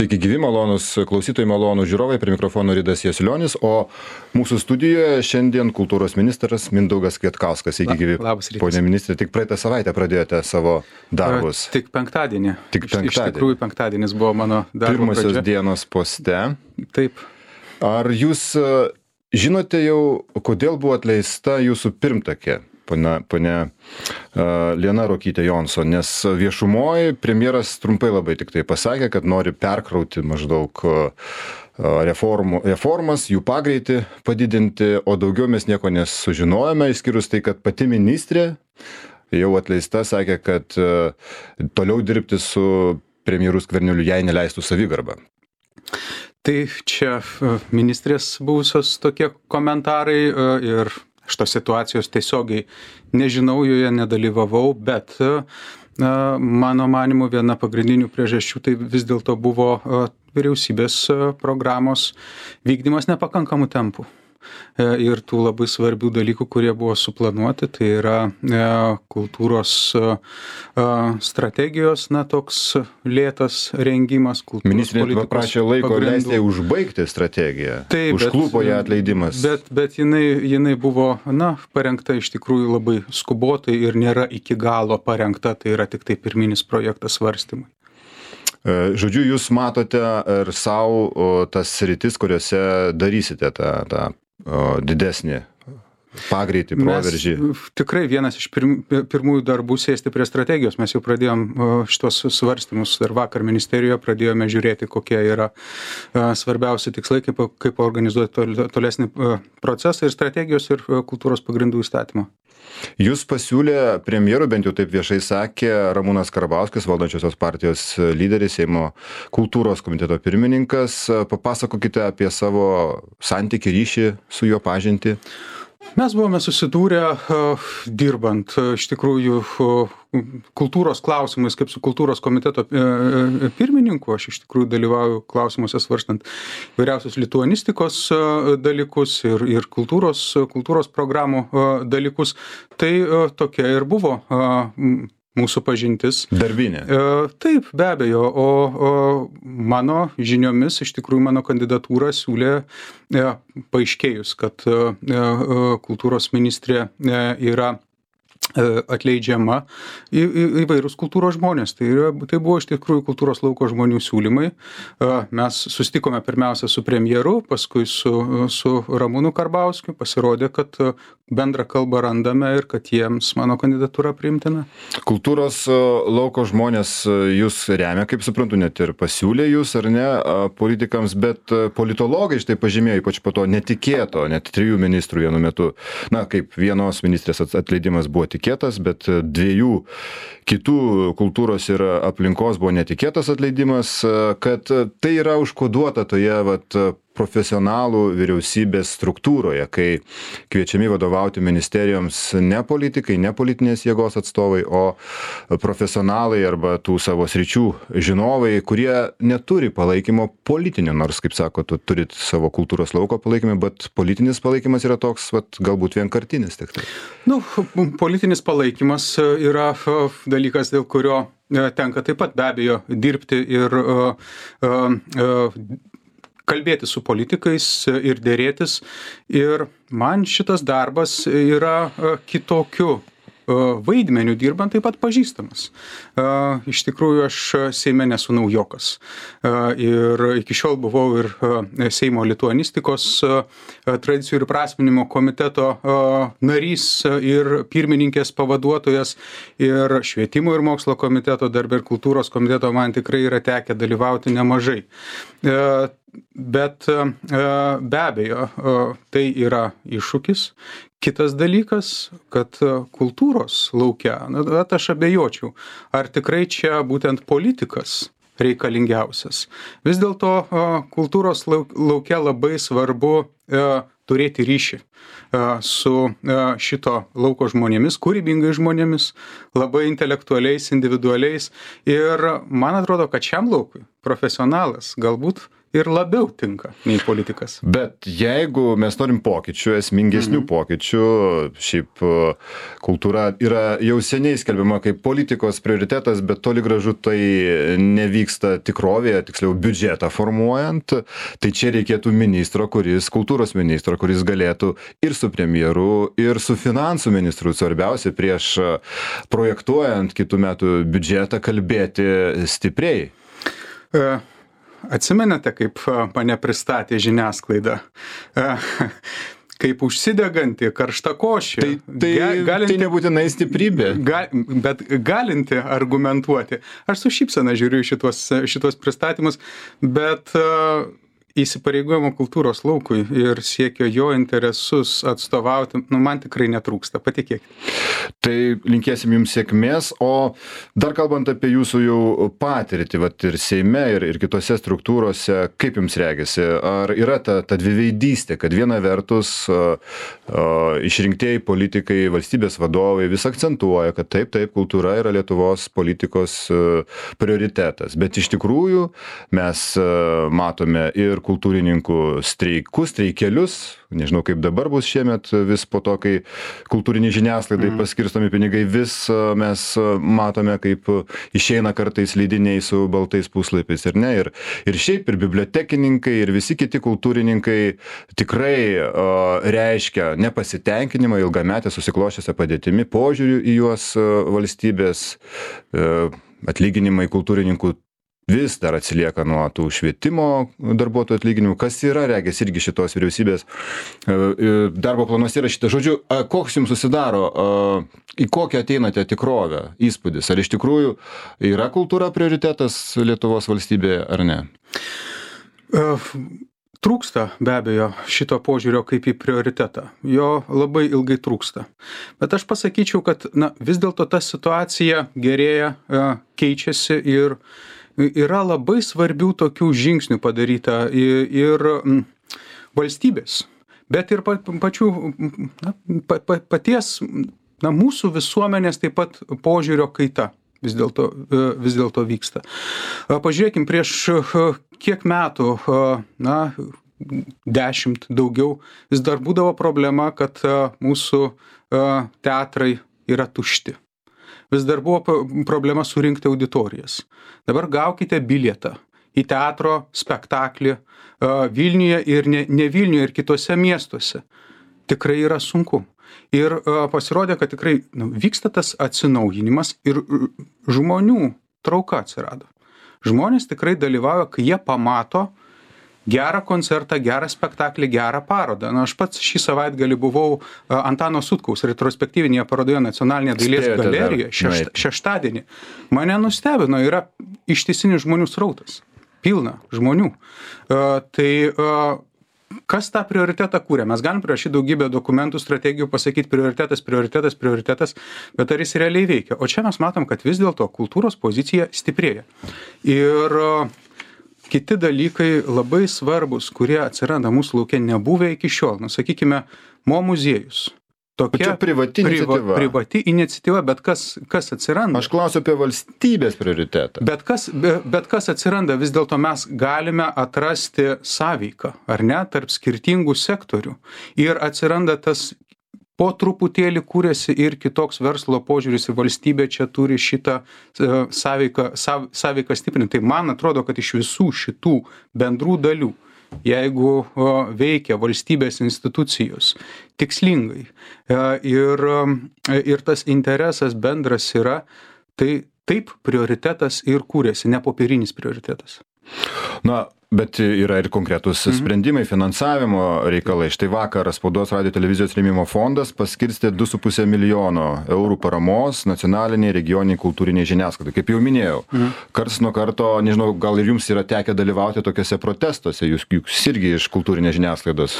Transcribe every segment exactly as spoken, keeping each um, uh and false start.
Sveiki gyvi, malonus klausytojai, malonus žiūrovai, prie mikrofono Ridas Jasulionis, o mūsų studijoje šiandien kultūros ministras Mindaugas Kvietkauskas. Sveiki gyvi. Labas rytas. Pone ministrė, tik praeitą savaitę pradėjote savo darbus. Tik penktadienį. Tik penktadienį. Iš, iš tikrųjų penktadienis buvo mano darbo Pirmosios pradžia. dienos poste. Taip. Ar jūs žinote jau, kodėl buvo atleista jūsų pirmtakė? Ponia, ponia uh, Liana Ruokytė Jonson, nes viešumoje premjeras trumpai labai tik tai pasakė, kad nori perkrauti maždaug uh, reformų, reformas, jų pagreitį padidinti, o daugiau mes nieko nesužinojame, išskyrus tai, kad pati ministrė jau atleista sakė, kad uh, toliau dirbti su premjeru Skverneliu jai neleistų savigarba. Tai čia ministrės buvusios tokie komentarai uh, ir šitos situacijos tiesiogiai nežinau, joje nedalyvavau, bet na, mano manymu viena pagrindinių priežasčių tai vis dėlto buvo vyriausybės programos vykdymas nepakankamų tempų. Ir tų labai svarbių dalykų, kurie buvo suplanuoti, tai yra kultūros strategijos, na, toks lėtas rengimas. Ministrė paprašė laiko leisti užbaigti strategiją. Taip, užklupo ją atleidimas. Bet, bet jinai, jinai buvo, na, parengta iš tikrųjų labai skubotai ir nėra iki galo parengta, tai yra tik tai pirminis projektas svarstymui. Žodžiu, jūs matote ir savo tas sritis, kuriuose darysite tą, tą o, didesnį pagreitį, proveržį. Mes, tikrai vienas iš pirm, pirmųjų darbų sėsti prie strategijos. Mes jau pradėjom šitos svarstymus ir vakar ministerijoje pradėjome žiūrėti, kokie yra svarbiausi tikslai, kaip, kaip organizuoti tolesnį procesą ir strategijos ir kultūros pagrindų įstatymą. Jūs pasiūlė premjerų, bent jau taip viešai sakė, Ramūnas Karbauskis, valdančiosios partijos lyderis, Seimo kultūros komiteto pirmininkas. Papasakokite apie savo santykį, ryšį su juo, pažintį. Mes buvome susidūrę uh, dirbant uh, iš tikrųjų uh, kultūros klausimais, kaip su kultūros komiteto uh, pirmininku. Aš iš tikrųjų dalyvauju klausimuose svarstant vairiausios lituanistikos uh, dalykus ir, ir kultūros, uh, kultūros programų uh, dalykus. Tai uh, tokia ir buvo uh, mūsų pažintis. Darbinė. E, taip, be abejo, o, o mano žiniomis, iš tikrųjų mano kandidatūrą siūlė e, paaiškėjus, kad e, kultūros ministrė e, yra atleidžiama į, į, įvairūs kultūros žmonės. Tai, yra, tai buvo iš tikrųjų kultūros lauko žmonių siūlymai. Mes susitikome pirmiausia su premjeru, paskui su, su Ramūnu Karbauskiu. Pasirodė, kad bendrą kalbą randame ir kad jiems mano kandidatūra priimtina. Kultūros lauko žmonės jūs remia, kaip suprantu, net ir pasiūlė jūs, ar ne, politikams, bet politologai štai pažymėjo, ypač po to netikėto, net trijų ministrų vienu metu, na, kaip vienos ministrės atleidimas buvo tikėtas, bet dviejų kitų kultūros ir aplinkos buvo netikėtas atleidimas, kad tai yra užkoduota toje vat, profesionalų vyriausybės struktūroje, kai kviečiami vadovauti ministerijoms ne politikai, ne politinės jėgos atstovai, o profesionalai arba tų savo sričių žinovai, kurie neturi palaikymo politinio, nors, kaip sako, tu turit savo kultūros lauko palaikymą, bet politinis palaikymas yra toks, vat, galbūt vienkartinis tik tai. Nu, politinis palaikymas yra dalykas, dėl kurio tenka taip pat be abejo dirbti ir uh, uh, kalbėti su politikais ir dėrėtis. Ir man šitas darbas yra kitokiu vaidmeniu dirbant taip pat pažįstamas. Iš tikrųjų, aš Seime nesu naujokas. Ir iki šiol buvau ir Seimo lituanistikos tradicijų ir prasminimo komiteto narys ir pirmininkės pavaduotojas ir švietimo ir mokslo komiteto, darbe ir kultūros komiteto man tikrai yra tekę dalyvauti nemažai. Bet be abejo, tai yra iššūkis. Kitas dalykas, kad kultūros lauke, na, aš abejočiau, ar tikrai čia būtent politikas reikalingiausias. Vis dėlto kultūros lauke labai svarbu turėti ryšį su šito lauko žmonėmis, kūrybingai žmonėmis, labai intelektualiais, individualiais. Ir man atrodo, kad šiam laukui profesionalas galbūt ir labiau tinka nei politikas. Bet jeigu mes norim pokyčių, esmingesnių mm-hmm. pokyčių, šiaip kultūra yra jau seniai skelbiama kaip politikos prioritetas, bet toli gražu tai nevyksta tikrovėje, tiksliau biudžetą formuojant, tai čia reikėtų ministro, kuris, kultūros ministro, kuris galėtų ir su premjeru, ir su finansų ministru, svarbiausia, prieš projektuojant kitų metų biudžetą kalbėti stipriai. Uh. Atsimenate, kaip mane pristatė žiniasklaida, kaip užsideganti karštakošį. Tai, tai, galinti, tai nebūtinai stiprybė. Ga, bet galinti argumentuoti. Aš su šypsena žiūriu šitos, šitos pristatymus, bet uh, įsipareigojimo kultūros laukui ir siekio jo interesus atstovauti, nu, man tikrai netrūksta, patikėkit. Tai linkėsim jums sėkmės, o dar kalbant apie jūsų jau patirtį, vat ir Seime, ir, ir kitose struktūrose, kaip jums regisi, ar yra ta, ta dviveidystė, kad viena vertus uh, uh, išrinktieji politikai, valstybės vadovai vis akcentuoja, kad taip, taip, kultūra yra Lietuvos politikos uh, prioritetas, bet iš tikrųjų mes uh, matome ir kultūrininkų streikus, streikelius, nežinau kaip dabar bus šiemet, vis po to, kai kultūriniai žiniasklaidai mm. paskirstomi pinigai, vis mes matome, kaip išeina kartais leidiniai su baltais puslapiais ir ne, ir, ir šiaip ir bibliotekininkai, ir visi kiti kultūrininkai tikrai uh, reiškia nepasitenkinimą ilgametę susikloščiusią padėtimi, požiūrių į juos uh, valstybės, uh, atlyginimai kultūrininkų vis dar atsilieka nuo tų švietimo darbuotojų atlyginimų, kas yra, regis, irgi šitos vyriausybės darbo planuose yra šitą. Žodžiu, koks jums susidaro, į kokią ateinate tikrovę, įspūdis? Ar iš tikrųjų yra kultūra prioritetas Lietuvos valstybėje, ar ne? Trūksta be abejo šito požiūrio kaip į prioritetą. Jo labai ilgai trūksta. Bet aš pasakyčiau, kad na, vis dėlto ta situacija gerėja, keičiasi ir yra labai svarbių tokių žingsnių padaryta ir, ir valstybės, bet ir pa, pačių na, pa, pa, paties na, mūsų visuomenės taip pat požiūrio kaita vis dėlto, vis dėlto vyksta. Pažiūrėkim, prieš kiek metų, na, dešimt daugiau, vis dar būdavo problema, kad mūsų teatrai yra tušti. Vis dar buvo problema surinkti auditorijas. Dabar gaukite bilietą į teatro spektaklį Vilniuje ir ne, ne Vilniuje ir kitose miestuose. Tikrai yra sunku. Ir pasirodė, kad tikrai nu, vyksta tas atsinaujinimas ir žmonių trauka atsirado. Žmonės tikrai dalyvauja, kai jie pamato gerą koncertą, gerą spektaklį, gerą parodą. Na, aš pats šį savaitgalį buvau Antano Sutkaus retrospektyvinėje parodoje Nacionalinėje dailės galerijoje šešt, šeštadienį. Mane nustebino, yra ištisinis žmonių srautas. Pilna žmonių. Uh, tai uh, kas tą prioritetą kūrė? Mes galim prirašyti daugybę dokumentų, strategijų, pasakyti prioritetas, prioritetas, prioritetas, bet ar jis realiai veikia? O čia mes matom, kad vis dėlto kultūros pozicija stiprėja. Ir uh, kiti dalykai labai svarbus, kurie atsiranda mūsų lauke nebuvę iki šiol. Na, sakykime, Mo muziejus. Tokia privati priva, iniciatyva. Privati iniciatyva, bet kas, kas atsiranda? Aš klausiu apie valstybės prioritetą. Bet kas, bet kas atsiranda, vis dėlto mes galime atrasti sąveiką, ar ne, tarp skirtingų sektorių. Ir atsiranda tas po truputėlį kūrėsi ir kitoks verslo požiūris ir valstybė čia turi šitą uh, sąveiką, sav, sąveiką stiprinti. Tai man atrodo, kad iš visų šitų bendrų dalių, jeigu uh, veikia valstybės institucijos tikslingai uh, ir, um, ir tas interesas bendras yra, tai taip prioritetas ir kūrėsi, ne popierinis prioritetas. Na, bet yra ir konkretus mhm. sprendimai, finansavimo reikalai. Štai vakar Spaudos radijo televizijos rėmimo fondas paskirstė du su puse milijono eurų paramos nacionaliniai, regioniniai, kultūriniai žiniasklaidai. Kaip jau minėjau, mhm. karts nuo karto, nežinau, gal ir jums yra tekę dalyvauti tokiuose protestuose, jūs, jūs irgi iš kultūrinės žiniasklaidos.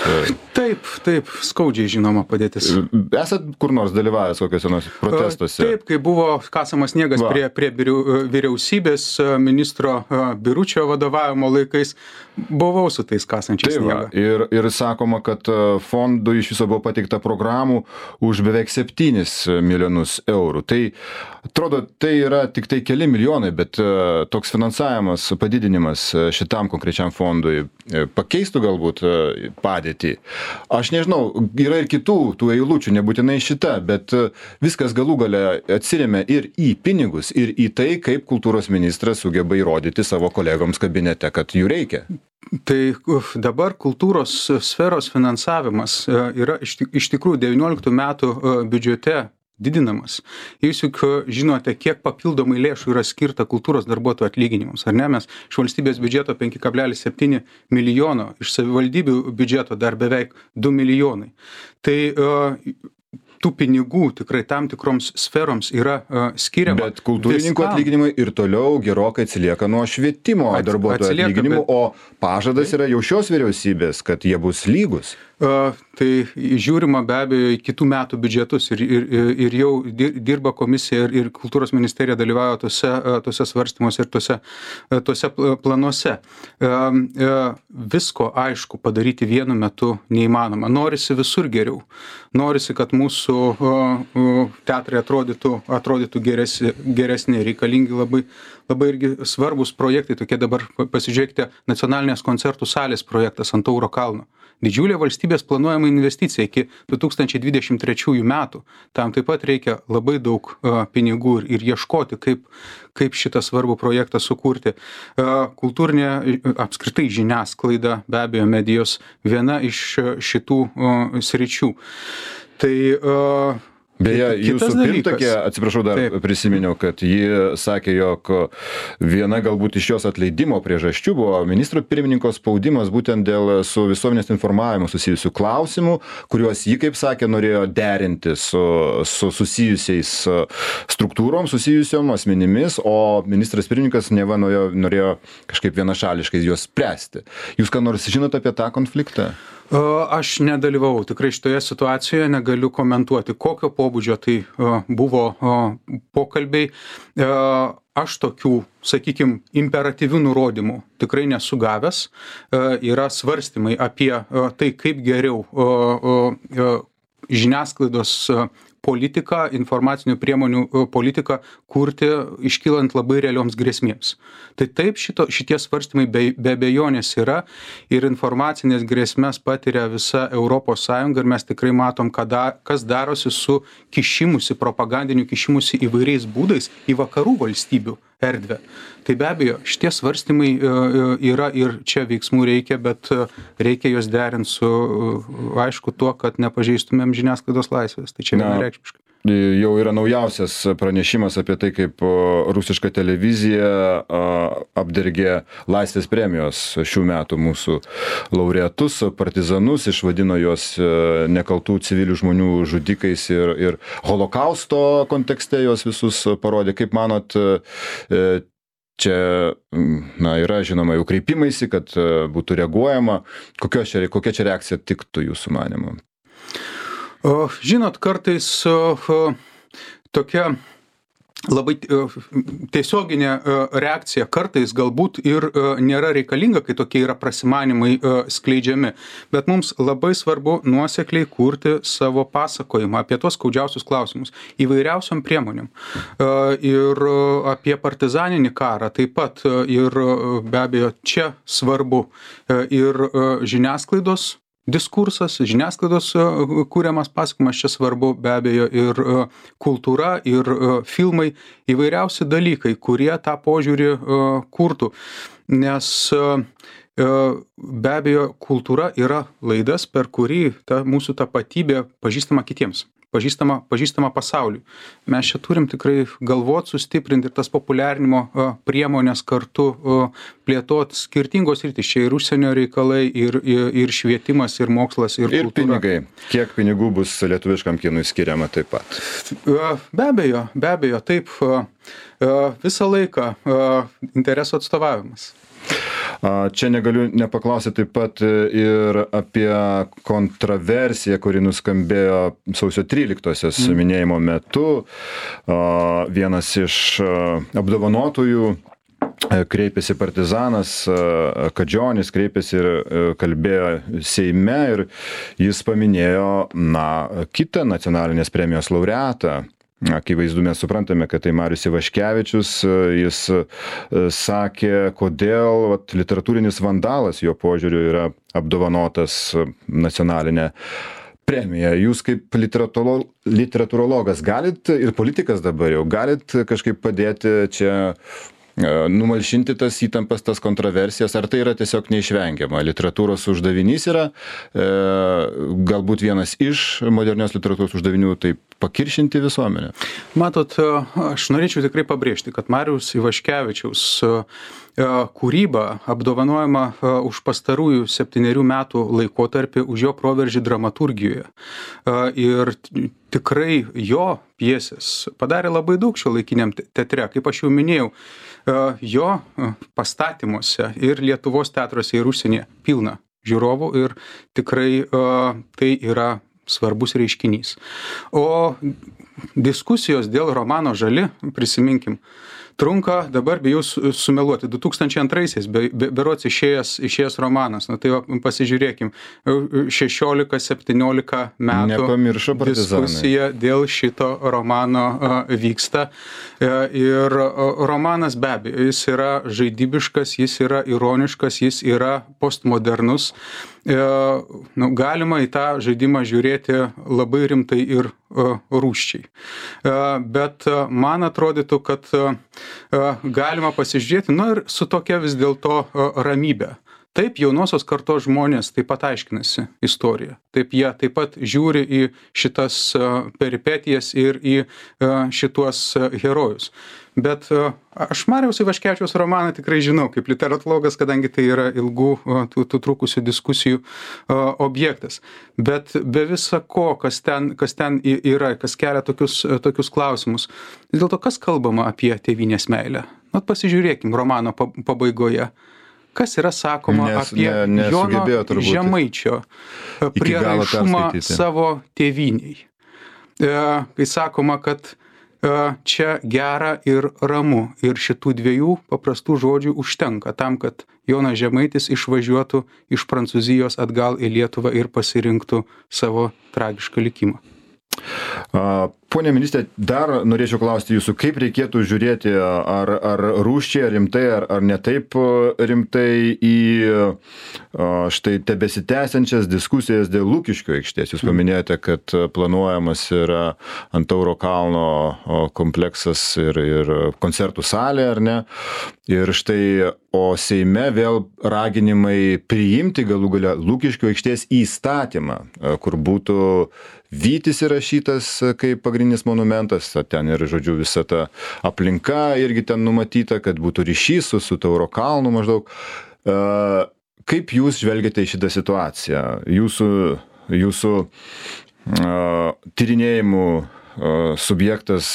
Taip, taip, skaudžiai žinoma padėtis. Esat kur nors dalyvavęs kokiuose nors protestuose? Taip, kai buvo kasamas sniegas Va. prie, prie vyriausybės ministro Biručio vadovavimo laikais, buvau su tais kasančiais Tai va, sniegą. ir, ir sakoma, kad fondui iš viso buvo pateikta programų už beveik septynis milijonus eurų. Tai atrodo, tai yra tik tai keli milijonai, bet toks finansavimas, padidinimas šitam konkrečiam fondui pakeistų galbūt padėtį. Aš nežinau, yra ir kitų tų eilučių, nebūtinai šita, bet viskas galų gale atsiremia ir į pinigus, ir į tai, kaip kultūros ministras sugeba įrodyti savo kolegoms kabinete, kad jų reikia. Tai uf, dabar kultūros sferos finansavimas yra iš, iš tikrųjų devynioliktų metų biudžete didinamas. Jūs juk žinote, kiek papildomai lėšų yra skirta kultūros darbuotojų atlyginimams, ar ne? Mes iš valstybės biudžeto penki kablelis septyni milijono, iš savivaldybių biudžeto dar beveik du milijonai. Tai uh, tų pinigų tikrai tam tikroms sferoms yra uh, skiriama. Bet kultūrininkų atlyginimai ir toliau gerokai atsilieka nuo švietimo darbuotojų atlyginimų, bet... o pažadas yra jau šios vyriausybės, kad jie bus lygus. Uh, tai žiūrima be abejo į kitų metų biudžetus ir, ir, ir jau dirba komisija ir, ir kultūros ministerija dalyvauja tose, tose svarstymuose ir tose, tose planuose. Uh, uh, visko, aišku, padaryti vienu metu neįmanoma. Norisi visur geriau. Norisi, kad mūsų uh, uh, teatrai atrodytų, atrodytų geresni, geresni, reikalingi labai, labai irgi svarbus projektai. Tokie dabar pasižiūrėkite nacionalinės koncertų salės projektas ant Tauro kalno. Didžiulė valstybės planuojama investicija iki du tūkstančiai dvidešimt trečiųjų metų. Tam taip pat reikia labai daug uh, pinigų ir, ir ieškoti, kaip, kaip šitą svarbų projektą sukurti. Uh, kultūrinė apskritai žiniasklaida, be abejo medijos, viena iš šitų uh, sričių. Tai uh, Beje, jūsų pirmtakė, atsiprašau, dar Taip. prisiminiau, kad ji sakė, jog viena galbūt iš jos atleidimo priežasčių buvo ministro pirmininko spaudimas būtent dėl su visuomenės informavimu susijusių klausimų, kuriuos ji, kaip sakė, norėjo derinti su, su susijusiais struktūrom, susijusiom asmenimis, o ministras pirmininkas neva norėjo, norėjo kažkaip vienašališkai juos spręsti. Jūs ką nors žinote apie tą konfliktą? Aš nedalyvavau tikrai šitoje situacijoje, negaliu komentuoti, kokio pobūdžio tai buvo pokalbiai. Aš tokių, sakykime, imperatyvių nurodymų tikrai nesu gavęs. Yra svarstymai apie tai, kaip geriau žiniasklaidos politiką, informacinių priemonių politiką kurti, iškylant labai realioms grėsmėms. Tai taip šito, šitie svarstymai be, be abejonės yra ir informacinės grėsmės patiria visa Europos Sąjunga ir mes tikrai matom, kada, kas darosi su kišimusi, propagandiniu kišimusi įvairiais būdais į vakarų valstybių erdvę. Tai be abejo, šitie svarstymai yra ir čia veiksmų reikia, bet reikia juos derinti su, aišku, tuo, kad nepažeistumėm žiniasklaidos laisvės. Tai čia vienareikšmiškai. Jau yra naujausias pranešimas apie tai, kaip rusiška televizija apdergė Laisvės premijos šių metų mūsų laureatus, partizanus, išvadino juos nekaltų civilių žmonių žudikais ir, ir holokausto kontekste juos visus parodė. Kaip manot, čia na, yra žinoma jau kreipimaisi, kad būtų reaguojama. Kokia čia, kokia čia reakcija tiktų jūsų manymu? Žinot, kartais tokia labai tiesioginė reakcija kartais galbūt ir nėra reikalinga, kai tokie yra prasimanimai skleidžiami. Bet mums labai svarbu nuosekliai kurti savo pasakojimą apie tos skaudžiausius klausimus įvairiausiom priemonėm. Ir apie partizaninį karą taip pat ir be abejo čia svarbu ir žiniasklaidos diskursas, žiniasklaidos kūriamas pasakojimas, čia svarbu be abejo ir kultūra, ir filmai, įvairiausi dalykai, kurie tą požiūrį kurtų. Nes be abejo kultūra yra laidas, per kurį ta mūsų tapatybė pažįstama kitiems. Pažįstama, pažįstama pasauliui. Mes čia turim tikrai galvot, sustiprinti ir tas populiarinimo priemonės kartu plėtot skirtingos sritys. Čia ir užsienio reikalai, ir, ir, ir švietimas, ir mokslas, ir, ir kultūra. Ir pinigai. Kiek pinigų bus lietuviškam kinui skiriama taip pat? Be abejo, be abejo, taip. Visą laiką interesų atstovavimas. Čia negaliu nepaklausyti taip pat ir apie kontroversiją, kuri nuskambėjo sausio tryliktosios mm. minėjimo metu. Vienas iš apdovanotųjų kreipėsi partizanas Kadžionis, kreipėsi ir kalbėjo Seime ir jis paminėjo, na, kitą nacionalinės premijos laureatą. Akivaizdu, mes suprantame, kad tai Marius Ivaškevičius, jis sakė, kodėl vat, literatūrinis vandalas jo požiūriu yra apdovanotas nacionalinė premija. Jūs kaip literatūro, literatūrologas galit ir politikas dabar jau galit kažkaip padėti čia numalšinti tas įtampas, tas kontroversijas, ar tai yra tiesiog neišvengiama? Literatūros uždavinys yra, e, galbūt vienas iš modernios literatūros uždavinių, tai pakiršinti visuomenę. Matot, aš norėčiau tikrai pabrėžti, kad Mariaus Ivaškevičiaus kūryba apdovanojama už pastarųjų septynerių metų laikotarpį už jo proveržį dramaturgijoje. Ir tikrai jo pjesės padarė labai daug šiuolaikiniam teatre, kaip aš jau minėjau, jo pastatymuose ir Lietuvos teatruose ir užsienyje pilna žiūrovų ir tikrai tai yra svarbus reiškinys. O diskusijos dėl romano Žali, prisiminkim, trunka, dabar bijau sumeluoti, du tūkstančiai antraisiais be, be, berods išėjęs, išėjęs romanas. Na tai va, pasižiūrėkim, šešiolika septyniolika metų diskusija dėl šito romano a, vyksta. E, ir a, romanas be abejo, jis yra žaidybiškas, jis yra ironiškas, jis yra postmodernus. E, nu, galima į tą žaidimą žiūrėti labai rimtai ir uh, rūsčiai. Uh, bet uh, man atrodytų, kad uh, galima pasižiūrėti, nu ir su tokia vis dėlto uh, ramybė. Taip, jaunosios kartos žmonės taip pat aiškinasi istoriją. Taip, jie taip pat žiūri į šitas uh, peripetijas ir į uh, šituos uh, herojus. Bet uh, aš Mariaus Ivaškevičiaus romaną tikrai žinau kaip literatologas, kadangi tai yra ilgų uh, tų, tų trukusių diskusijų uh, objektas. Bet be visa ko, kas ten, kas ten yra, kas kelia tokius, uh, tokius klausimus, vis dėlto kas kalbama apie tėvynės meilę? Na, pasižiūrėkim romano pabaigoje. Kas yra sakoma Nes, apie ne, Jono Žemaičio prieraišumą savo tėvyniai. E, kai sakoma, kad e, čia gera ir ramu ir šitų dviejų paprastų žodžių užtenka tam, kad Jonas Žemaitis išvažiuotų iš Prancūzijos atgal į Lietuvą ir pasirinktų savo tragišką likimą. Pone ministre, dar norėčiau klausti jūsų, kaip reikėtų žiūrėti, ar, ar rūsčiai, ar rimtai, ar, ar ne taip rimtai į štai tebesitęsiančias diskusijas dėl Lukiškių aikštės. Jūs paminėjote, kad planuojamas yra ant Tauro kalno kompleksas ir, ir koncertų salė, ar ne? Ir štai, o Seime vėl raginimai priimti galų gale Lukiškių aikštės įstatymą, kur būtų Vytis įrašytas kaip pagrindinis monumentas, ten ir, žodžiu, visa ta aplinka irgi ten numatyta, kad būtų ryšys su, su Tauro kalnu maždaug. Kaip jūs žvelgiate į šitą situaciją? Jūsų, jūsų tyrinėjimų subjektas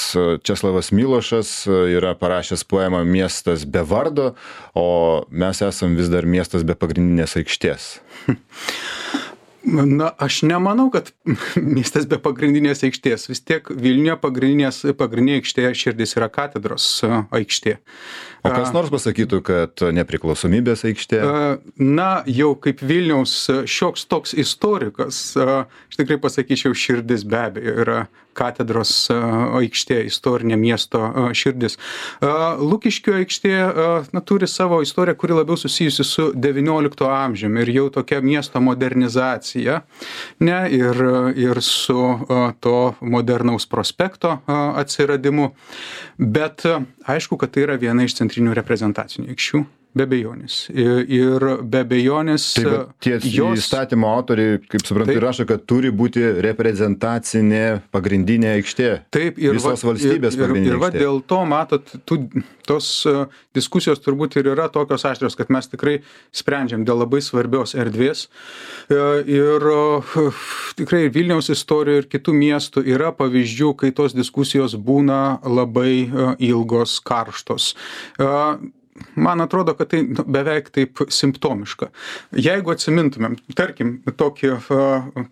Česlavas Milošas yra parašęs poemą Miestas be vardo, o mes esam vis dar miestas be pagrindinės aikštės. Na, aš nemanau, kad miestas be pagrindinės aikštės. Vis tiek Vilniuje pagrindinės, pagrindinė aikštė širdis yra katedros aikštė. O kas nors pasakytų, kad nepriklausomybės aikštė? Na, jau kaip Vilniaus šioks toks istorikas, aš tikrai pasakyčiau, širdis be abejo yra katedros aikštė, istorinė miesto širdis. Lukiškių aikštė na, turi savo istoriją, kuri labiau susijusi su devyniolikto amžiumi ir jau tokia miesto modernizacija, ne, ir, ir su to modernaus prospekto atsiradimu. Bet aišku, kad tai yra viena iš centrinių reprezentacinių aikščių. Be abejonės. Ir be abejonės... Taip, tie jos... įstatymo autoriai, kaip suprantu, taip, rašo, kad turi būti reprezentacinė pagrindinė aikštė. Taip, ir visos va, valstybės ir, pagrindinė ir, ir va, aikštė. Dėl to, matot, tų, tos diskusijos turbūt ir yra tokios aštrios, kad mes tikrai sprendžiam dėl labai svarbios erdvės. Ir tikrai Vilniaus istorijoje ir kitų miestų yra pavyzdžių, kai tos diskusijos būna labai ilgos, karštos. Man atrodo, kad tai beveik taip simptomiška. Jeigu atsimintumėm, tarkim, tokį,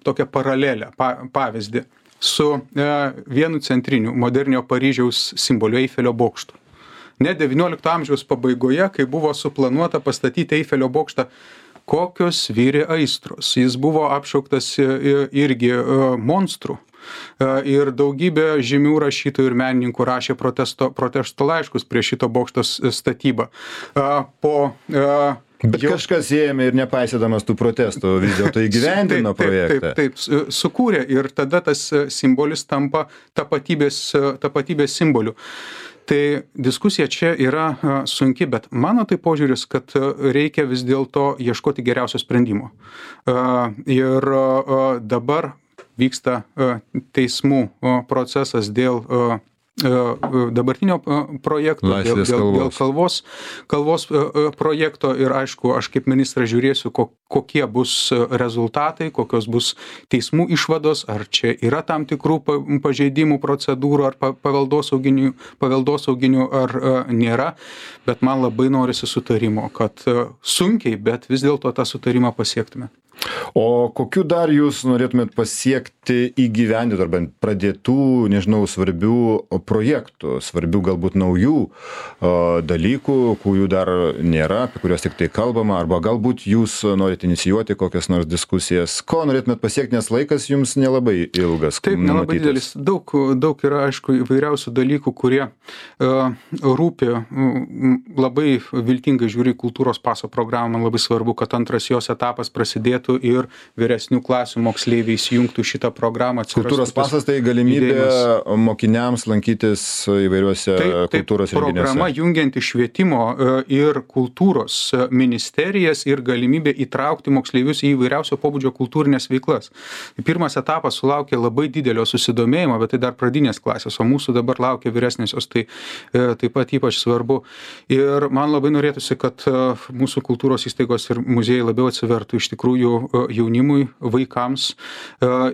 tokią paralelę, pavyzdį su vienu centriniu modernio Paryžiaus simboliu Eifelio bokštu. ne devyniolikto amžiaus pabaigoje, kai buvo suplanuota pastatyti Eifelio bokštą. Kokios vyrė aistros. Jis buvo apšauktas irgi monstrų. Ir daugybė žymių rašytojų ir menininkų rašė protesto, protesto laiškus prieš šito bokšto statybą. Po Bet jau... kažkas ėmė ir nepaisydamas tų protestų vis dėlto įgyvendino taip, projektą. Taip, taip, taip, sukūrė ir tada tas simbolis tampa tapatybės, tapatybės simboliu. Tai diskusija čia yra sunki, bet mano tai požiūris, kad reikia vis dėlto ieškoti geriausio sprendimo. Ir dabar vyksta teismų procesas dėl dabartinio projekto, dėl, dėl, dėl kalvos, kalvos projekto ir aišku, aš kaip ministras žiūrėsiu, kokie bus rezultatai, kokios bus teismų išvados, ar čia yra tam tikrų pažeidimų procedūrų, ar paveldosauginių, paveldosauginių ar nėra, bet man labai norisi sutarimo, kad sunkiai, bet vis dėlto tą sutarimą pasiektume. O kokiu dar jūs norėtumėt pasiekti įgyvendinti arba pradėtų, nežinau, svarbių projektų, svarbių galbūt naujų o, dalykų, kurių dar nėra, apie kuriuos tik tai kalbama, arba galbūt jūs norite inicijuoti kokias nors diskusijas, ko norėtumėt pasiekti, nes laikas jums nelabai ilgas. Taip, nelabai didelis. Daug, daug yra, aišku, įvairiausių dalykų, kurie uh, rūpi, uh, labai viltingai žiūri kultūros paso programą, labai svarbu, kad antras jos etapas prasidėtų ir vyresnių klasių moksleiviai įsijungtų šitą programą. Kultūros pasas tai galimybė judėjimas. Mokiniams lankytis įvairiuose taip, kultūros taip, renginiuose. Programa jungianti švietimo ir kultūros ministerijas ir galimybė įtraukti moksleivius į įvairiausio pobūdžio kultūrinės veiklas. Pirmas etapas sulaukė labai didelio susidomėjimo, bet tai dar pradinės klasės, o mūsų dabar laukia vyresnėsios, tai taip pat ypač svarbu. Ir man labai norėtųsi, kad mūsų kultūros įstaigos ir muziejai labiau atsivertų iš tikrųjų jaunimui, vaikams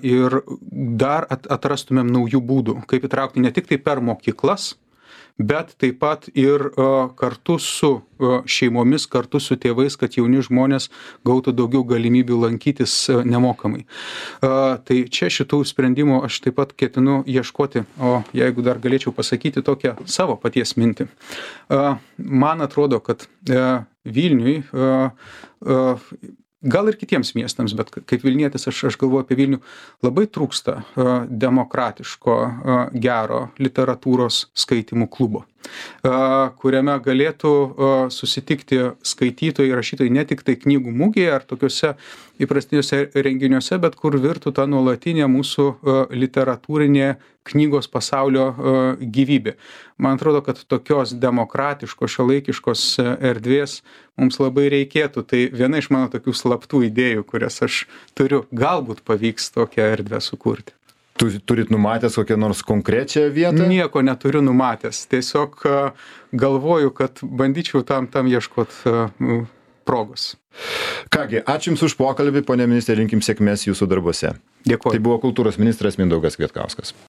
ir dar atrastumėm naujų būdų, kaip įtraukti ne tik tai per mokyklas, bet taip pat ir kartu su šeimomis, kartu su tėvais, kad jauni žmonės gautų daugiau galimybių lankytis nemokamai. Tai čia šitų sprendimų aš taip pat ketinu ieškoti, o jeigu dar galėčiau pasakyti tokią savo paties mintį. Man atrodo, kad Vilniui gal ir kitiems miestams, bet kaip Vilnietis aš, aš galvoju apie Vilnių, labai trūksta uh, demokratiško, uh, gero literatūros skaitymų klubo, uh, kuriame galėtų uh, susitikti skaitytojai, rašytojai ne tik tai knygų mugėje ar tokiuose įprastiniuose renginiuose, bet kur virtų ta nuolatinė mūsų uh, literatūrinė knygos pasaulio uh, gyvybė. Man atrodo, kad tokios demokratiškos, šiuolaikiškos erdvės mums labai reikėtų. Tai viena iš mano tokių slaptų idėjų, kurias aš turiu, galbūt pavyks tokią erdvę sukurti. Turit numatęs kokią nors konkrečią vietą? Nieko neturiu numatęs. Tiesiog galvoju, kad bandyčiau tam, tam ieškoti progos. Kągi, ačiū Jums už pokalbį, ponė ministrė, linkim sėkmės Jūsų darbuose. Dėkuoju. Tai buvo kultūros ministras Mindaugas Kvietkauskas.